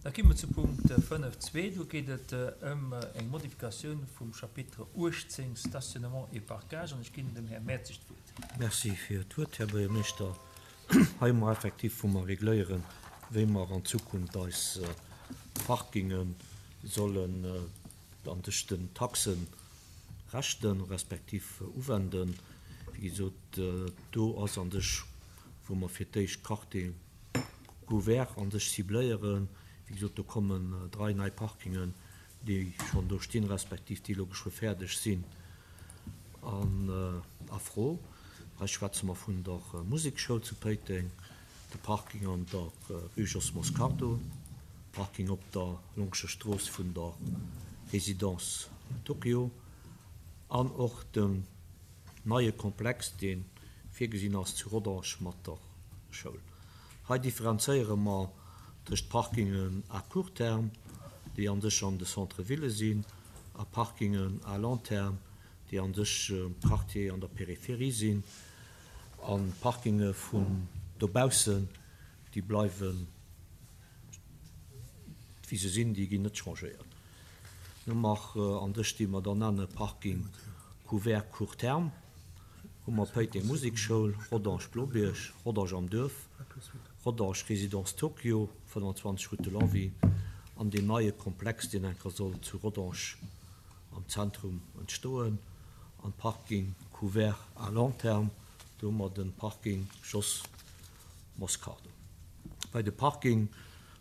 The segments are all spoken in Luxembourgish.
Da gi mer zu Punkt 5.2. Do geet et ëm eng Modifikatioun vum Chapitre 18, Stationnement et parkage, an ech ginn dem Här Mertzig d'Wuert. Merci fir d'Wuert, Här Buergermeeschter. Hei hu mer effektiv, wou mer regléieren, wéi mer an Zukunft eis Parkinge sollen an sech den Taxen rechten, respektiv uwenden. Wéi gesot, do ass an sech, wou mer fir d'éischt Quartier couvert an sech cibléieren. Wéi gesot, do kommen drai nei Parkingen, déi schonn do stinn, respektiv déi elo geschwë fäerdeg sinn, an a Fro. Hei schwätze mer vun der Musekschoul zu Péiteng, de Parking an der Rue Jos Moscardo, Parking op der Longscher Strooss vun der Résidence Tokyo an och dem neie Komplex, dee virgesinn ass zu Rodange mat der Schoul. Hei differenzéiere mer tëscht Parkingen à court terme, déi an sech an de Centre-ville sinn, a Parkingen à long terme, déi an sech am Quartier an der Périphérie sinn. An d'Parkinge vun dobaussen, déi bleiwen wéi se sinn, déi ginn net changéiert. Hu mer an sech déi mer dann nenne Parking couvert court terme, hu mer Péiteng Musekschoul, Rodange Blobierg, Rodange am Duerf, Rodange Résidence Tokyo, 25 Route de Longwy, an deen neie Komplex, deen enker soll zu Rodange am Zentrum entstoen, an Parking couvert à long terme, do hu mer de Parking Jos Moscardo. Bei de Parking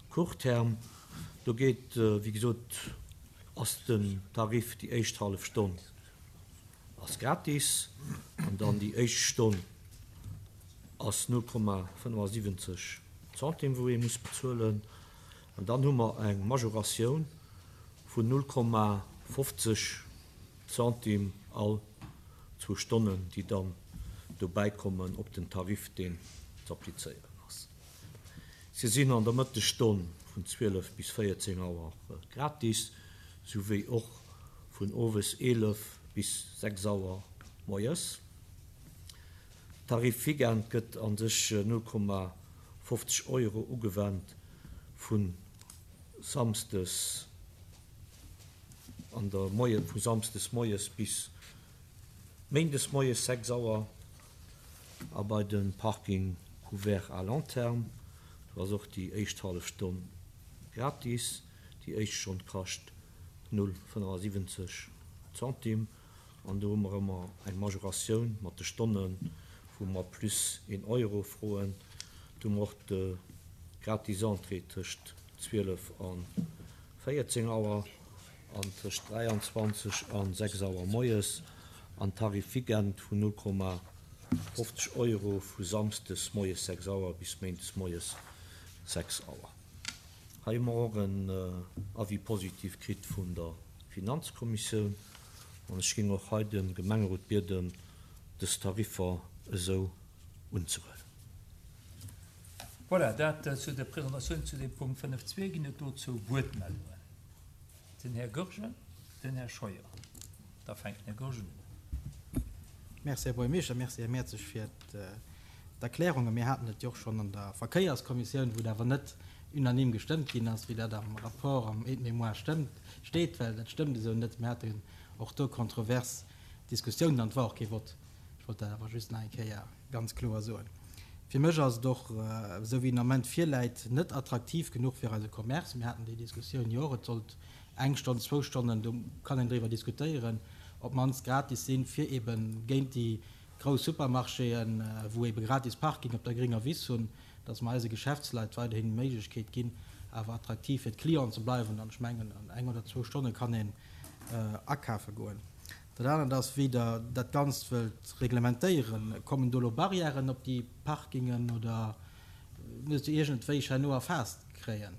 court terme, do geet, wéi gesot, ass den Tarif déi éischt hallef Stonn ass gratis an dann déi éischt Stonn ass 0,75 Centime wou ee muss bezuelen an dann hu mer eng Majoratioun vun 0,50 Centime all zwou Stonnen, déi dann dobäi kommen op den Tarif, deen z'applizéieren ass. Se sinn an der Mëttesstonn vun 12 bis 14 Auer gratis, souwéi och vun owes 11 bis 6 Auer moies. Tarif Weekend gëtt a sech 0,50 Euro ugewennt vu samsdes an der Moie vu samsdes moies bis méindes moies 6 Auer a bei de Parking couvert à long terme, do ass och déi éischt hallef Stonn gratis, déi éischt Stonn kascht 0,75 Centime an do hu mer ëmmer eng Majoratioun mat de Stonnen, wou mer plus een Euro froen. Do hu mer och de gratis Entrée tëscht 12 a 14 Auer an tëscht 23 a 6 Auer moies an Tarif Weekend vun 0,50 Euro vu samsdes moies 6 Auer bis méindes moies 6 Auer. Hei hu mer och en Avis positif kritt vun der Finanzkommissioun an ech géing och hei de Gemengerot bieden, dës Tariffer esou unzehuelen. Voilà, dat zu der Presentatioun zu deem Punkt 5.2. Ginn et dozou Wuertmeldungen? Den Här Goergen, den Här Scheuer. Da fänkt den Här Goergen un. Merci, Här Buergermeeschter. Merci, Här Mertzig, fir d'Erklärungen. Mir haten et jo och schonn an der Verkéierskommissioun, wou et awer net unanime gestëmmt ginn ass, wéi dat am Rapport, am Aide-mémoire stëmmt, steet, well dat stëmmt esou net. Mir haten och do kontrovers Diskussiounen an et war och kee Vott. Ech wollt dat awer just nach eng Kéier ganz kloer soen. Fir mech ass et och, esou wéi en Ament virläit, net attraktiv genuch fir eise Commerce. Mir haten déi Diskussioun jo och, et sollt eng Stonn, zwou Stonnen, do kann een driwwer diskutéieren, op d'mannst gratis sinn, fir ebe géint déi grouss Supermarchéen, wou ebe gratis Parking op der gringer Wiss hunn, dass mer eise Geschäftsleit weiderhin d'Méiglechkeet ginn, awer attraktiv fir d'Clienten ze bleiwen. An ech mengen, an eng oder zwou Stonne kann een akafe goen. Dat anert ass, wéi Der dat Ganzt wëllt reglementéieren. Kommen do elo Barrièren op déi Parkingen oder musst Der iergendwéi herno erfaasst kréien,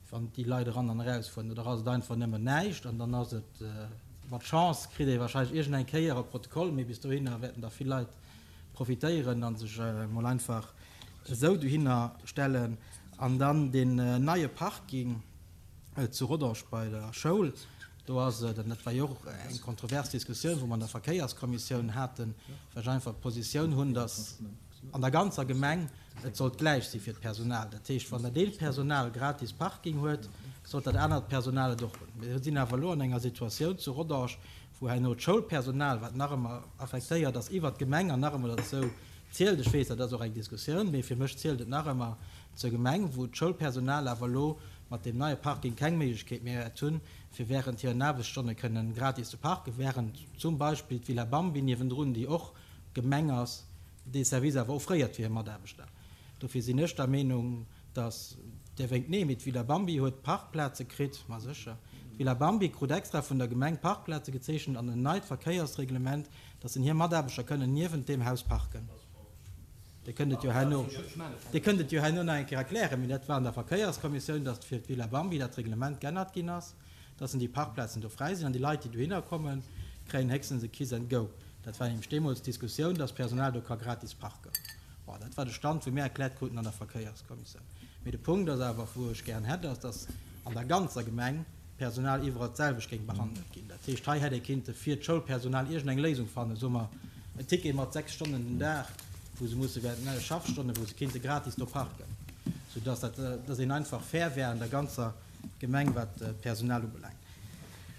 wann déi Leit eran an erausfueren? Oder ass et einfach nëmmen näischt an dann ass et, mat Chance kritt ee warscheinlech iergendeng Kéier e Protokoll, mee bis dohinner wäerten der vill Leit profitéieren a sech emol einfach esou dohinner stellen. An dann deen neie Parking zu Rodange bei der Schoul. Do ass et, an dat war jo och eng kontrovers Diskussioun, wou mer an der Verkéierskommissioun haten, well ech einfach d'Positioun hunn, datt an der ganzer Gemeng. Et sollt gläich si fir d'Personal. Dat heescht, wann dat eent Personal gratis Parking huet, sollt dat anert Personal et och hunn. Mir sinn awer elo an enger Situatioun zu Rodange, wou herno d'Schoulpersonal, wat nach ëmmer affektéiert ass iwwert d'Gemeng an nach ëmmer derzou zielt, ech weess, dat ass och eng Diskussioun, mee fir mech zielt et nach ëmmer zur Gemeng, wou d'Schoulpersonal awer elo mat deem neie Parking keng Méiglechkeet méi wäert hunn, fir während hiren Aarbechtsstonne kënnen gratis ze parken, während zum Beispill d'Villa Bambi niewendrun, déi och Gemeng ass, dee Service awer offréiert fir hir Mataarbechter. Dofir sinn ech der Meenung, dass, Dir wénkt nee, mee d'Villa Bambi huet Parkplaze kritt, ma sécher, d'Villa Bambi krut extra vun der Gemeng Parkplaze gezeechent an en neit Verkéiersreglement, dass en hir Mataarbechter kënnen niewent deem Haus parken. Dir kënnt et jo herno, Dir kënnt et jo herno nach eng Kéier erklären, mee dat war an der Verkéierskommissioun, dass fir d'Villa Bambi dat Reglement g'ännert ginn ass. dass en déi Parkplazen do fräi sinn an déi Leit, déi dohinner kommen, kréien héchstens e Kiss and Go. Dat war nämlech deemools d'Diskussioun, dass d'Personal do ka gratis parken. Bon, dat war de Stand, wou mir erkläert kruten an der Verkéierskommissioun. Mee de Punkt ass awer, wou ech gären hätt, ass, dass an der ganzer Gemeng d'Personal iwwerall d'selwecht géing behandelt ginn. Dat heescht, hei hätt ee kinnte fir d'Schoulpersonal iergendeng Léisung fannen, soe mer en Ticket mat 6 Stonnen den Dag, wou se musse während den Schaffstonnen, wou se kinnte gratis do parken, soudass dat, dass een einfach fair wär an der ganzer Gemeng, wat d'Personal ubelaangt.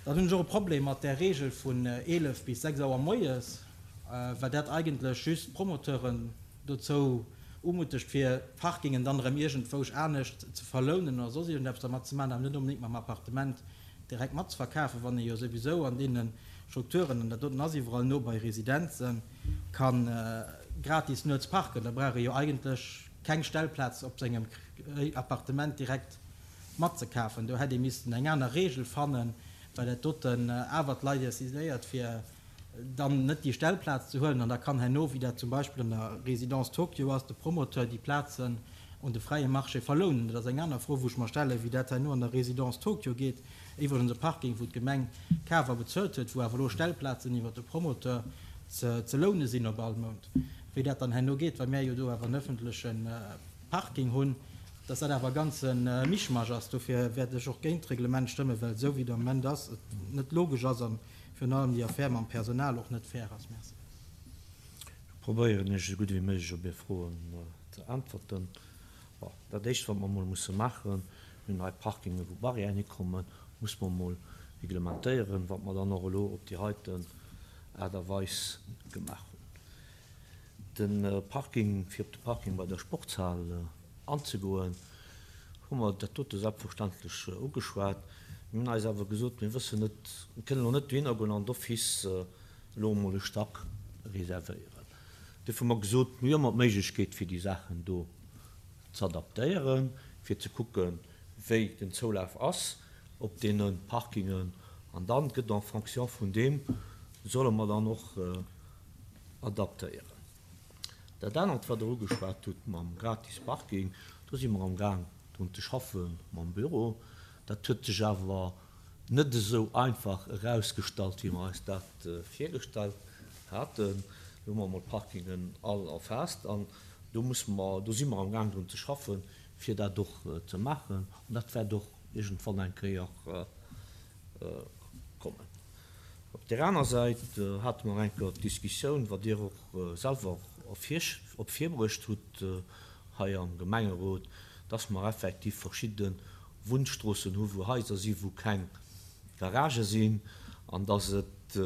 Dann hunn ech och e Problem mat där Regel vun 11 bis 6 Auer moies, well dat eigentlech just d'Promoteuren dozou umuttegt, fir d'Parkingen dann erëm iergendwousch anescht ze verlounen oder soss iergendeppes dermat ze maachen, awer net onbedéngt mam Appartement direkt matzeverkafen, wann ee jo souwisou an deene Strukturen, an dat doten ass iwwerall no bei Residenzen, ka gratis nuets parken. Da brauch ee jo eigentlech keng Stellplaz op sengem Appartement direkt matzekafen. Do hätt ee missten eng aner Regel fannen, well dat doten awer d'Leit incitéiert, fir dann net déi Stellplaz ze huelen. An da kann herno, wéi dat zum Beispill an der Résidence Tokyo ass, de Promoteur déi Plazen un de fräie Marché verlounen. Dat ass eng aner Fro, wou ech mer stellen, wéi dat herno an der Résidence Tokyo geet, iwwregens e Parking, wou d'Gemeng kaf a bezuelt huet, wou awer elo Stellplazen iwwert de Promoteur ze loune sinn op all Mount. Wéi dat dann herno geet, well mär jo do awer en öffentleche Parking hunn, dass dat awer e ganze Mischmasch ass. Dofir wäert ech och géint d'Reglement stëmmen, well esou wéi et am Moment ass, et net logesch ass a virun allem déi Affär mam Personal och net fair ass. Merci. Ech probéieren Iech esou gutt ewéi méiglech op Är Froen ze äntwerten. Bon, dat Éischt, wat mer emol musse maachen, mir hunn hei Parkingen, wou Barrièren hikommen, muss mer emol reglementéieren, wat mer dann och elo op déi heiten Aart a Weis gemaach hunn. De Parking, fir op de Parking bei der Sportshal anzegoen, hu mer dat dote selbstverständlech ugeschwat. Mir hunn eis awer gesot, mir wëssen net, mir kënnen elo net dohinner goen an d'office elo emol e Stack reservéieren. Duerfir hu mer gesot, mir hu ëmmer d'Méiglechkeet fir déi Saachen do z'adaptéieren, fir ze kucken, wéi den Zoulaf ass op deene Parkingen. An dann gëtt en fonction vun deem, solle mer dann och adaptéieren. Dat anert, wat Der ugeschwat hutt mam gratis Parking, do si mer amgaang drun ze schaffe mam Büro. Dat huet sech awer net esou einfach erausgestallt, wéi mer eis dat virgestallt haten. Do hu mer emol d'Parkingen all erfaasst an do musse mer, do si mer amgaang drun ze schaffen, fir dat och ze maachen. An dat wäert och iergendwann eng Kéier kommen. Op där aner Säit hate mer eng Kéier d'Diskussioun, wat Dir och selwer op virbruecht hutt hei am Gemengerot, dass mer effektiv verschidde Wunnstroossen hu wou Haiser si wou keng Garagë sinn an dass et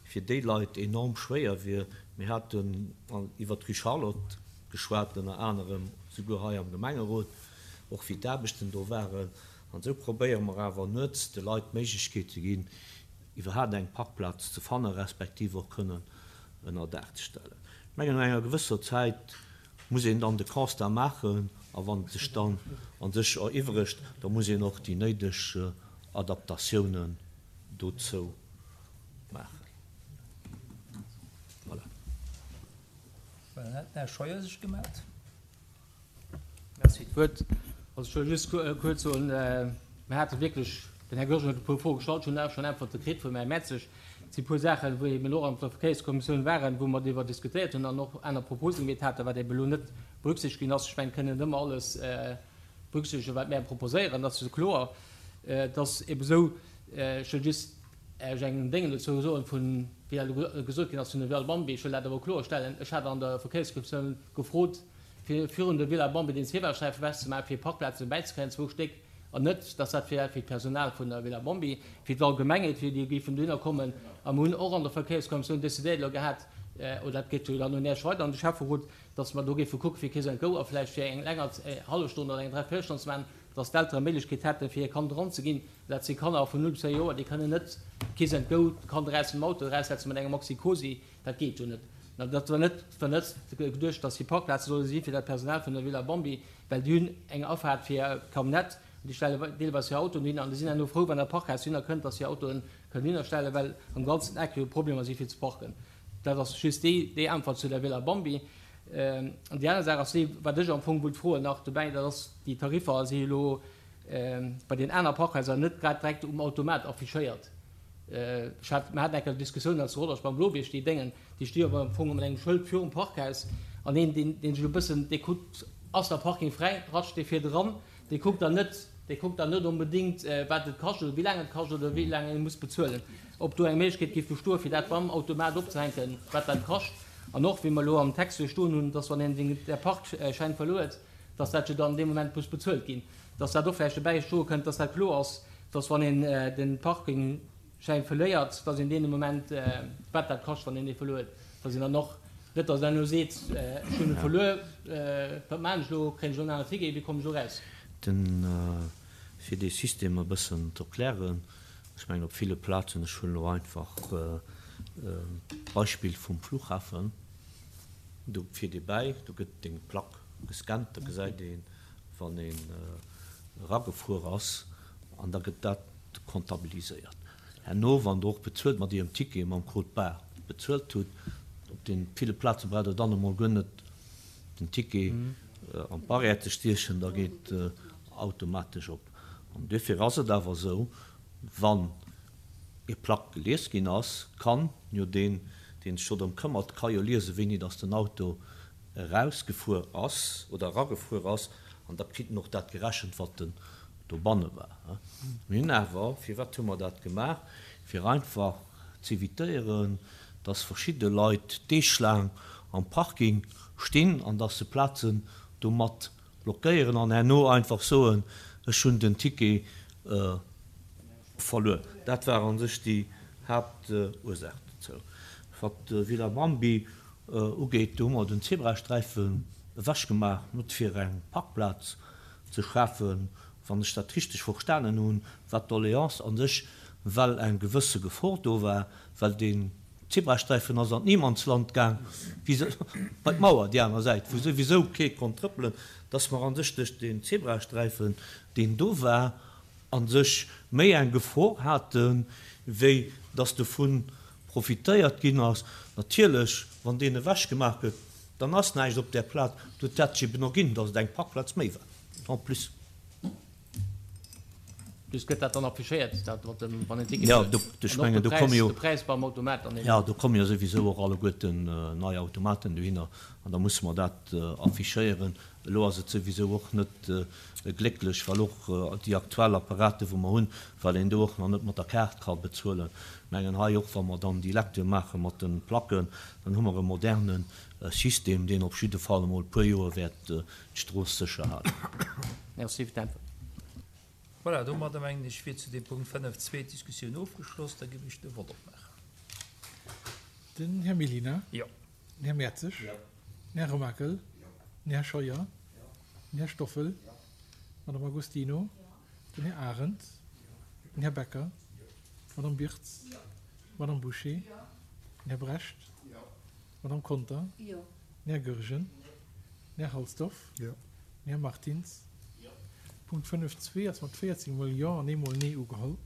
fir déi Leit enorm schwéier wier. Mir haten iwwert d'Rue Charlotte geschwat, ënner anerem souguer hei am Gemengerot, och wéi d'Aarbechten do waren. An esou probéiere mer awer nuets de Leit d'Méiglechkeet ze ginn, iwwerhaapt eng Parkplaz ze fannen, respektiv och kënnen ënner Daach ze stellen. Ech mengen, no enger gewësser Zäit muss een dann de Constat maachen a wann et sech dann a sech eriwweregt, da muss een och déi néideg Adaptatiounen dozou maachen. Voilà. Voilà, dann hätt den Här Scheuer sech gemellt. Merci fir d'Wuert. Also ech wëll just kuerz soen, mir hate wierklech, den Här Goergen huet e puer Froe gestallt, ech hunn awer schonn Äntwerte kritt vum Här Mertzig. Et si puer Saachen, wou eben och an der Verkéierskommissioun waren, wou mer driwwer diskutéiert hunn an och aner Propose gemeet haten, wat eben elo net berücksichtegt ginn ass. Ech mengen, et kënn net ëmmer alles berücksichtegen, wat mär proposéieren, dat ass jo kloer. Et ass eben esou, ech wëll just Ech eng Déngen dozou soen, vun, wéi dat elo gesot ginn ass, vun de Val Bambi. Ech wëll dat awer kloerstellen, Ech hat an der Verkéierskommissioun gefrot, fir virun der Villa Bambi den Zebrasträifen ewechzemaachen, fir Parkplazen bäizekréien, zwou Stéck, an net, dass dat fir fir d'Personal vun der Villa Bambi, fir d'Allgemengheet, fir déi géifen dohinner kommen. A mer hunn och an der Verkéierskommissioun decidéiert elo gehat, oder dat geet jo dann un Iech weider, an de Schäfferot, dass mer do géife kucke fir Kiss and Go a vläicht fir eng länger hallef Stonn oder eng Dräiviertelstonn ze maachen, dass d'Eltere Méiglechkeet hätten, fir hir Kand eranzeginn. Dat si Kanner vun 0 bis 4 Joer, déi kënnen net Kiss and Go d'Kand eraus dem Auto eraussetzen mat engem Maxi-Cosi. Dat geet jo net. Dat war net war net geduecht, dass déi Parkplaze solle si fir dat Personal vun der Villa Bambi, well déi hunn eng Afaart fir Camionnette an déi stelle deelweis hir Autoen dohinner an déi sinn herno frou, wann dat Parkhaus dohinner kënnt, dass hir Autoen kënnen dohinner stellen, well am ganzen Eck jo Problemer si fir ze parken. Dat ass just déi déi Äntwert zu der Villa Bambi. An déi aner Saach ass déi, wat ech am Fong wollt froen nach dobäi, dat ass, déi Tariffer si elo bei den aner Parkhaiser net grad direkt um Automat affichéiert. Ech hat, mir haten eng Kéier Diskussioun als Rodange beim Blobierg, déi Déngen, déi sti jo am Fong mat engem Schëld virum Parkhaus an een, deen, deen sech e bëssen, dee kuckt, ass der Parking fräi, ratscht dee virdran, dee kuckt dann net, dee kuckt dann net onbedéngt, wat et kascht oder wéi laang et kascht oder wéi laang ee muss bezuelen. Ob do eng Méiglechkeet géif bestoen, fir dat beim Automat opzehänken, wat dat kascht. An och, wéi mer elo am Text jo stoen hunn, dass wann een den, der Parkschäin verluer huet, dass dat jo dann dee Moment muss bezuelt ginn, dass dat och vläicht dobäi stoe kënnt, dass dat kloer ass, dass wann een de Parkingschäin verléiert, dass een deen Moment, wat dat kascht, wann een dee verluer huet, dass een dann och, net dass een elo seet, ech hunn e verluer, wat maachen ech elo, kréien ech elo en aneren Ticket, wéi kommen ech elo eraus? Den, fir dee System e bëssen z'erklären, ech mengen op ville Plazen, ech huelen elo einfach d'Beispill vum Flughafen, do fiert ee bäi, do gëtt deng Plack gescannt, da gesäit een, wann een eragefuer ass, an da gëtt dat comptabiliséiert. Herno, wann Der och bezuelt mat Ierem Ticket, mam Code barre bezuelt hutt, op de ville Plaze braucht Der dann emol guer net den Ticket an d'Barrière ze stiechen, da geet automatesch op. An duerfir ass et awer esou, wann Ier Plack gelies ginn ass, kann jo deen, deen sech do drëm këmmert, ka jo liesen, wéini dass den Auto erausgefuer ass oder eragefuer ass, an da kritt en och dat gerechent, wat en dobanne war. Mir hunn awer, firwat hu mer dat gemaach? Fir einfach z'évitéieren, dass verschidde Leit deeglaang am Parking stinn an dass se Plazen domat blockéieren an herno einfach soen, ech hunn den Ticket verluer. Dat war a sech déi Haaptursaach dozou. Wat d'Villa Bambi ugeet, do hu mer den Zebrasträifen ewechgemaach, net fir eng Parkplaz ze schafen, wann ech dat richteg verstanen hunn, war d'Doléance a sech, well eng gewësse Gefor do war, well deen Zebrasträifen ass an d'Niemandsland gaang, bei d'Mauer déi aner Säit, wou souwisou kee konnt trëppelen, dass mer a sech duerch deen Zebrasträifen, deen do war, a sech méi eng Gefor haten, wéi dass dovun profitéiert ginn ass. Natierlech, wann deen ewechgemaach gëtt, dann ass näischt op där Plaz. Do huet dat sech eben erginn, dass et eng Parkplaz méi war en plus. Just gëtt dat dann affichéiert, dat mat dem, wann een Ticket huet? Jo, ech mengen, do komme jo, de Präis beim Automat dann eben. Jo, do komme jo souwisou och alleguerten nei Automaten dohinner an da musse mer dat affichéieren. Elo ass et souwisou och net glécklech, well och déi aktuell Apparaten, wou mer hunn, well een do och nach net mat der Kaart ka bezuelen. Ech mengen hei och, wa mer dann déi Lecture maache mat de Placken, dann hu mer e moderne System, deen op jidde Fall emol e puer Joer wäert d'Strooss sécher halen. Merci fir d'Äntwert. Voilà, domadder mengen ech wier zu deem Punkt 5.2 d'Diskussioun ofgeschloss. Da géif ech de Vott opmaachen. Den Här Mellina. Jo. Den Här Mertzig. Jo. Den Här Remakel. Jo. Den Här Scheuer. Jo. Den Här Stoffel. Jo. D'Madame Agostino. Jo. Den Här Arendt. Jo. Den Här Becker. Jo. D'Madame Birtz. Jo. D'Madame Bouché. Jo. Den Här Brecht. Jo. D'Madame Conter. Jo. Den Här Goergen. Den Här Halsdorf. Jo. Den Här Martins. Jo. Punkt 5.2 ass mat 14 mol Jo an eemol Nee ugeholl.